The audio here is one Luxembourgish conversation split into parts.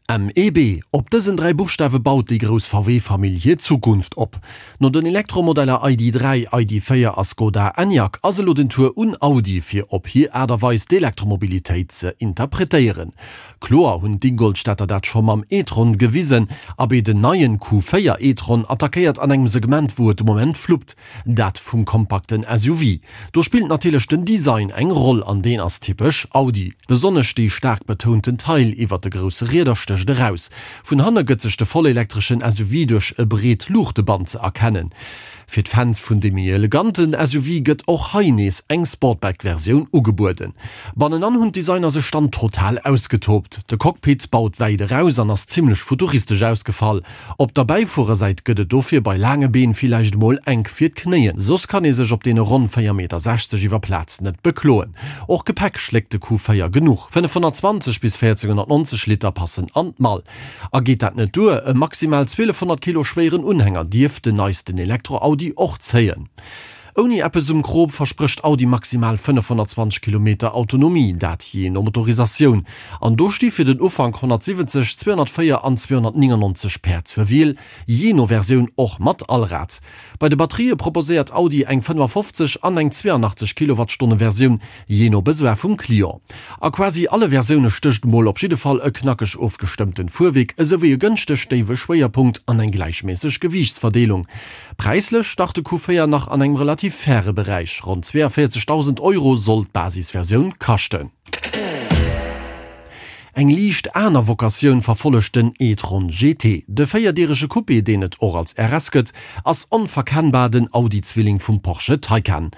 MEB, Op dësen 3 Buchstawe baut déi grouss VW-Famill hir Zukunft op. No den Elektromodeller ID. 3, ID. 4 a Skoda Enyaq ass elo den Tour un Audi, fir op hir Aart a Weis d'Elektromobilitéit ze interpretéieren. Kloer hunn d'Ingolstädter dat scho mam e-tron gewisen, abee den neien Q4 e-tron attackéiert an engem Segment wou et de Moment fluppt. Dat vum kompakten SUV. Do spillt natierlech den Design eng Roll an deen ass typesch Audi. Besonnesch déi staark betounten Taille iwwert de grousse Rieder stécht eraus. Vun hanne gëtt sech de vollelektreschen SUV duerch e breet Luuchteband ze erkennen. Fir d'Fans vun de méi eleganten SUV gëtt och hei nees eng Sportback-Versioun ugebueden. Bannenan hunn d'Designer sech dann total ausgetoobt. De Cockpit baut wäit eraus an ass zimmlech futuristesch ausgefall. Op der Bäifuerersäit gëtt et dofir bei laange Been villäicht emol enk fir d'Knéien. Soss kann ee sech op deene ronn 4,60 Meter iwwer Plaz net bekloen. Och Gepäck schléckt de Q4 genuch, 520 bis 1490 Liter passen an d'Mall. A geet dat net duer, e maximal 1200 Kilo schwéieren Unhänger dierf den neisten Elektro-Audi och zéien. Ouni eppes um Krop versprécht Audi maximal 520 Kilometer Autonomie, dat jee no Motorisatioun. An do sti fir den Ufank 170, 204 an 299 Päerd zur Wiel, jee no Versioun och mat Allrad. Bei de Batterië proposéiert Audi eng 55 an eng 82 Kilowattstonne Versioun, jee no Besoin vum Client. A quasi alle Versioune stécht mol op jidde Fall e knackeg ofgestëmmten Fuerwierk esouwéi e gënschteg déiwe Schwéierpunkt an eng gläichméisseg Gewiichtsverdeelung. Präislech start de Q4 nach an engem relativ faire Beräich, ronn 42.000 Euro soll d'Basisversioun kaschten. Eng liicht aner Vocatioun verfollegt den e-tron GT. De véierdierege Coupé, deen et och als RS gëtt, ass onverkennbar den Audi-Zwilling vum Porsche Taycan.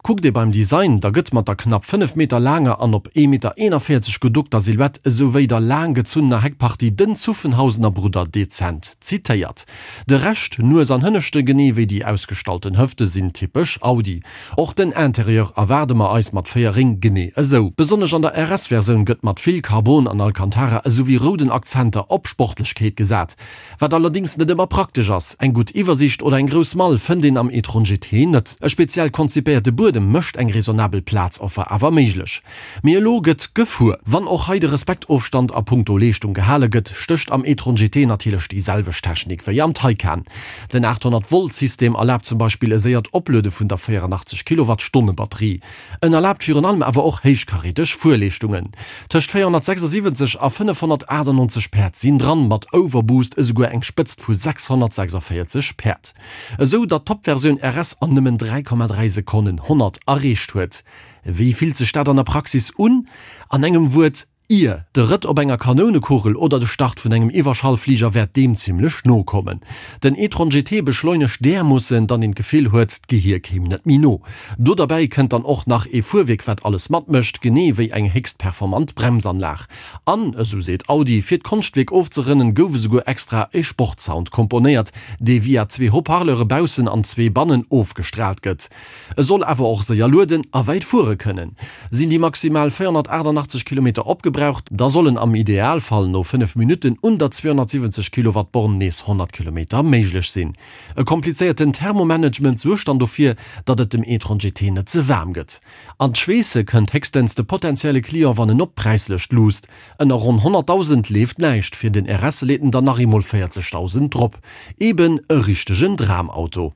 Kuckt ee beim Design, da gëtt mat der knapp 5 Meter laanger an op 1,41 Meter geduckter Silhouette esouwéi der laang gezunnener Heckpartie den Zuffenhausener Brudder dezent zitéiert. De Rescht, Nues an Hënneschte genee wéi déi ausgestallten Hëfte sinn typesch Audi. Och den Interieur erwaarde mer eis mat 4 Réng genee esou. Besonnesch an der RS-Versioun gëtt mat vill Carbon an Alcantara esouwéi rouden Akzenter op Sportlechkeet gesat. Wat allerdéngs net ëmmer praktesch ass. Eng gutt Iwwersiicht oder eng grouss Mall fënnt een am e-tron GT net. E speziell konzipéierte Buedem mécht eng raisonnabel Plazoffer awer méiglech. Mee elo gëtt gefuer. Wann och hei de Respektofstand a punkto Leeschtung gehale gëtt, stécht am e-tron GT natierlech déi selwecht Technik wéi am Taycan. Den 800 Volt System erlaabt zum Beispill e séiert Opluede vun der 84 Kilowattstonne Batterie. En erlaabt virun allem awer och héichkaräteg Fuerleeschtungen. Tëscht 476 a 598 Päerd sinn dran, mat Overboost esouguer eng Spëtzt vu 646 Päerd. Esou datt d'Top-Versioun RS an nëmmen 3,3 Sekonnen 100 erreecht huet. Wéi fillt sech dat an der Praxis un? An engem Wuert, Ier! De Rëtt op enger Kanounekugel oder de Start vun engem Iwwerschallfliger wäert deem zimmlech no kommen. Den e-tron GT beschleunegt därmoossen, datt een d'Gefill huet, d'Gehier kéim net méi no. Do derbäi kënnt dann och nach ee Fuerwierk wat alles matmécht, genee wéi eng héchst performant Bremsanlag. An, esou seet Audi, fir d'Konschtwierk ofzerënnen, gouf esouguer extra e Sportsound komponéiert, dee via zwee Haut-parleure baussen an zwee bannen ofgestraalt gëtt. E soll awer och séier lueden a wäit fuere kënnen. Sinn déi maximal 488 Kilometer opgebraucht, da sollen am Idealfall no 5 Minutten un der 270 Kilowatt Born nees 100 Kilometer méiglech sinn. E komplizéierten Thermomanagement suergt dann dofir, datt et dem e-tron GT net ze waarm gëtt. An d'Schweesse kënnt héchstens de potentielle Client, wann en op d'Präislëscht luusst. Ënner ronn 100.000 leeft näischt, fir den RS leet en dann nach eemol 40.000 drop. Eben e richtegen Dramauto.